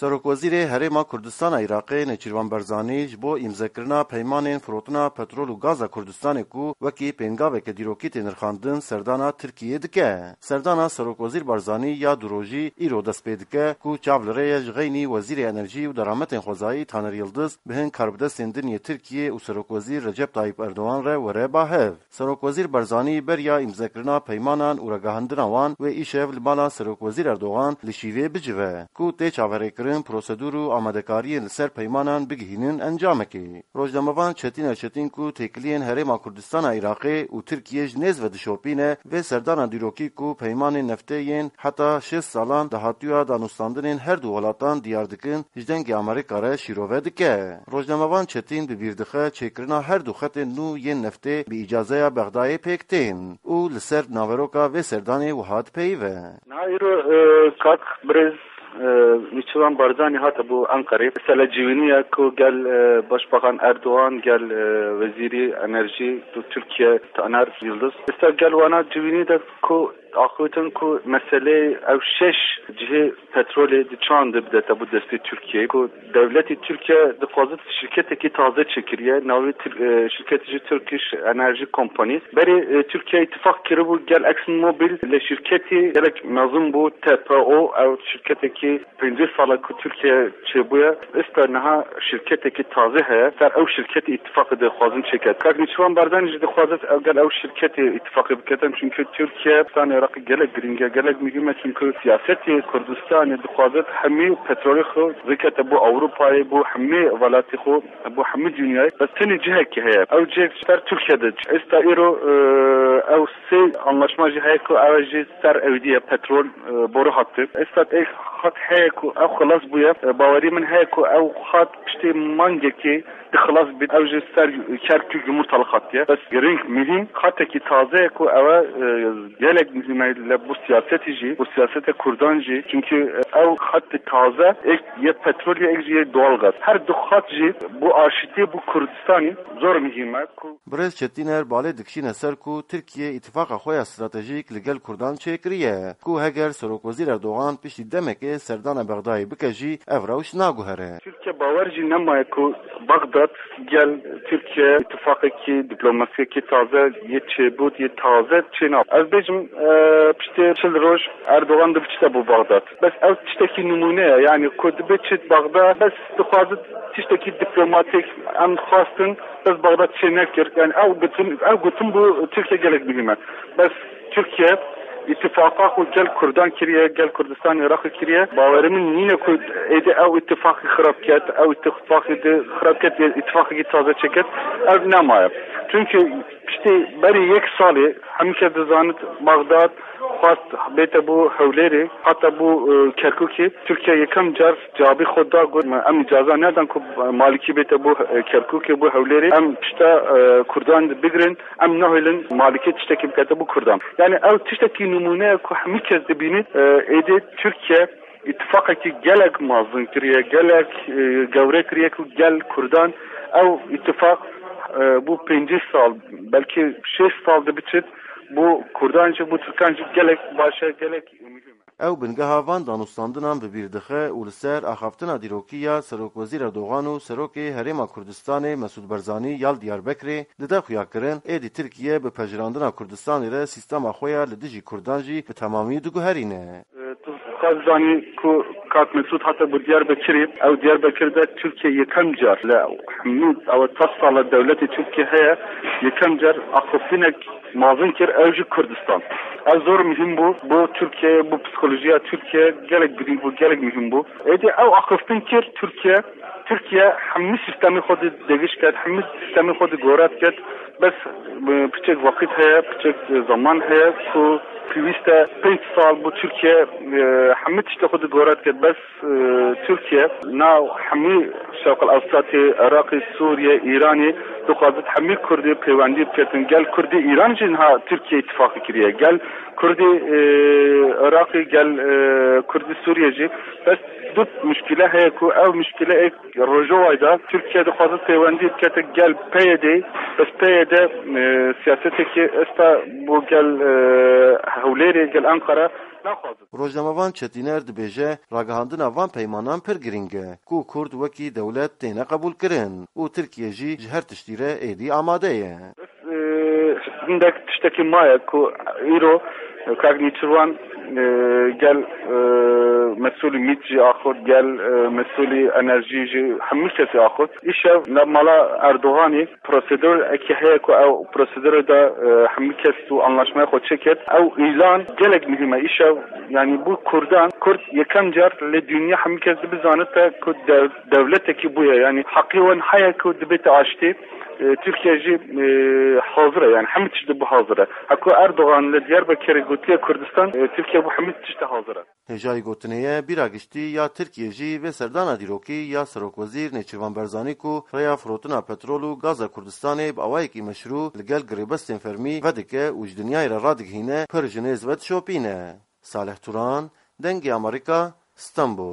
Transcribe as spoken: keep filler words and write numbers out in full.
Serokwezîrê Herêma Kurdistana Iraqê Nêçîrvan Barzanî ji bo îmzekirina peymanên firotina petrol û gaza Kurdistanê ku wekî pêngaveke dîrokî tê nirxandin serdana Tirkiyeyê dike. Serdana Serokwezîr Barzanî ya du rojî îro dest pê dike ku çav li rê ye ji xeynî Wezîrê Enerjî û Derametên Xwezayî Taner Yildiz bi hin karbidestên din yê Tirkiyê û Serokwezîr Recep Tayyip Erdogan re were ba hev. Serokwezîr Barzanî beriya îmzekirina peymanan û ragihandina wan wê îşev li mala Serokwezîr Erdogan li şîvê bicive, ku tê çaverêkirin prosedûr û amadekariyên li ser peymanan bigihînin encamekê. Rojnamevan Çetîner Çetîn ku têkiliyên Herêma Kurdistana Iraqê û Tirkiyê ji nêz ve dişopîne, vê serdana dîrokî ku peymanên neftê yên heta şêst salan dahatûya danûstandinên her du welatan diyar dikin, ji Dengê Amerîka re şîrove dike. Rojnamevan Çetîn bi bîr dixe çêkirina her du xetên nû yên neftê bi îcazeya Bexdayê pêk tên û li ser naveroka vê serdanê wiha dipeyive. Niha îro, e, kak birêz, e, Nêçîrvan Barzanî hate bo Enqerê. Mesela civînî ye ku gel, e, Başbakan Erdogan, gel, e, Wezîrî Enerjî tu Tirkiye Taner Yildiz. Esta gel wana civînî de ku axiftin ku meseleyê ew şeş cihê petrolê di çand de bidete bo destê Tirkiyeyê, ku dewletê Tirkiye dixwazit şirketekî taze çêkiriye, navê Tir-, e, şirketê jî Turkish Energy Company. Berê, e, Tirkiye îtifaq kiribû gel ExxonMobil, lê şirketî gelek mezin bû, T P O, ew şirketekî pêncî sala ku Tirkiye çêbûye, esta niha şirketekî tazê heye. Ser ew şirketê îtifaqê dixwazin çêket. Kak Nêçîrvan Barzanî jî dixwazit ew gel ew şirketê îtifaqê biketin. Çünkü Tirkiye, Kurdistanê Iraqê gelek girîng e, gelek muhîm e. Çünkü siyasetê Kurdistanê dixwazit hemî petrolê xwe zikete bo Ewropayê, bo hemî welatê xwe, bo hemî dinyayê. Bes tenê cihekî heye. Ew cihek ser Tirkiye de. Esta îro, e, ew sê anlaşma jî heye ku ew jî ser ewîdî ye petrol. E, boru hattı. Esta ê xat heye ku ew xilas bûye. E, bawerî min heye ku ew xat piştê mangekê di xilas bît. Ew jî ser Kerkûk Yumurtalık xat ye. Bes girîng, muhîm xatekî taze ye ku ew e, gelek muhîm e li bo siyasetê jî, bo siyaseta Kurdan jî. Çünkü, e, ew xatê taze êk yê petrolê, êk jî yê doğalgaz. Her du xat jî bo aşîtiyê, bo Kurdistanê zor muhîm e ku Birêz Çetîner balê dikişîne ser ku Tirkiye îtifaqa xwe ya stratejîk li gel Kurdan çêkiriye, ku heger Serokwezîr Erdogan piştî demekê serdana Bexdayê bike jî ev rewş naguhere. Tirkiye bawer jî nemaye ku Bexdad gel Tirkiye îtifaqekî diplomasiyekî taze yê çêbût, yê taze çênabe. Ez bêjim, e, piştê çil roj Erdogan dibiçite bo Bexdad. Bes ew tiştekî nimûne ye, yanî ku dibe çit Bexdad, bes dixwazit tiştekî diplomatîk em xwestin, bes Bexdad çê nekir. Yani ew gotin, ew gotin bû Tirkiye gelek muhîm e. Bes Tirkiye îtifaqa xwe gel Kurdan kiriye, gel Kurdistanê Iraqê kiriye. Bawerê min nîne ku êdî ew îtifaqî xirab ket, ew îtifaqî di xirab ket, îtifaqekî taze çêket. Ev nemaye. Çünkü piştî berî yek salê hemî kes dizanit Bexdad xwest bête bo Hewlêrê, heta bo, e, Kerkûkê. Tirkiye yekem car cewabî xwe da, got, "Me, em îcaza nedan ku Malikî bête bo, e, Kerkûkê, bo Hewlêrê. Em pişta, e, Kurdan digirin, em nahêlin Malikê tiştekî bikete bo Kurdan." Yani ew tiştekî nimûne ye ku hemî kes dibînit, e, êdî Tirkiye îtifaqekî gelek mezin kiriye, gelek, e, gewre kiriye ku gel Kurdan ew îtifaq, e, bo pêncî sal, belkî şêst sal dibiçit, bo Kurdan jî, bo Tirkan jî gelek baş e, gelek muhîm e. Ew bingeha van danûstandinan bi bîr dixe û li ser axaftina dîrokî ya Serokwezîr Erdogan û Serokê Herêma Kurdistanê Mesûd Barzanî ya li Diyarbekirê dide xuyakirin, êdî Tirkiye bi pejirandina Kurdistanê re sîstema xwe ya li dijî Kurdan jî bi temamî diguherîne. Tu dixwazî zanî ku kak Mesûd hate bo Diyarbekirê, ew Diyarbekir de Tirkiye yekem car li hemî ew çar sala dewletê Tirkiye heye, yekem car axiftinek mezin kir, ew jî Kurdistan. Ev zor muhîm bû bo Tirkiye, bo psîkolojiya Tirkiye gelek girîng bû, gelek muhîm bû. Êdî ew axiftin kir Tirkiye, Tirkiye hemî sîstemê xwe di dêgiş ket, hemî sîstemê xwe di goret ket. Bes, e, piçek weqît heye, piçek, e, zeman heye ku pêwîst e pênc sal bo Tirkiye, e, hemî tiştê xwe di goret ket. Bes, e, Tirkiye nav hemî Şerqil Ewsatê, Iraqê, Sûriye, Îranê dixwazit hemî Kurdê pêwendî biketin. Gel Kurdê Îran jî niha Tirkiye îtifaqê kiriye. Gel Kurdê, e, Iraqê, gel, e, Kurdê Sûriye jî. Bes du muşkile heye ku ew muşkile êk Rojavayê de Tirkiye dixwaze pêwendî bikete gel P Y D, bes P Y D, e, siyasetekî esta bo gel, e, Hewlêrê, gel Ankara, Naxwazin. Rojnamevan Çetîner dibêje, ragihandina van peymanan pir girîng e, ku Kurd wekî dewlet têne qebûlkirin û Tirkiye jî ji her tiştî re êdî amade ye. Hindek tiştekî maye ku îro kak Nêçîrvan, e, gel, e, mesûlî mît jî axurt, gel, e, mesûlî enerjî jî hemû kesî axurt. Îşev li mala Erdoganî prosedûr ekî heye ku ew prosedûrê de, e, hemû kes û anlaşmaya xwe çêkir. Ew îlan gelek muhîm e. Îşev, yanî bû Kurdan, Kurd yekem car li dinya hemû kes dibizanite ku dev-, dewletekî bûye. Yanî heqê wan heye ku dibête aştî. E, Tirkiye jî, e, hazir e, yanî hemû tişt bû hazir e. Heko Erdogan li Diyarbekirê gotiye Kurdistan, e, Tirkiye bû hemû tişt hazir e. Hêjayî gotinê ye, bîra giştî ya Tirkiye jî vê serdana dîrokî ya Serokwezîr Nêçîrvan Berzanî ku rêya firotina petrol û gaza Kurdistanê bi awayekî meşrû li gel girêbestên fermî vedike û ji dinyayê re radigihîne, pir ji nêz ve dişopîne. Salih Turan, Dengê Amerîka, Stenbol.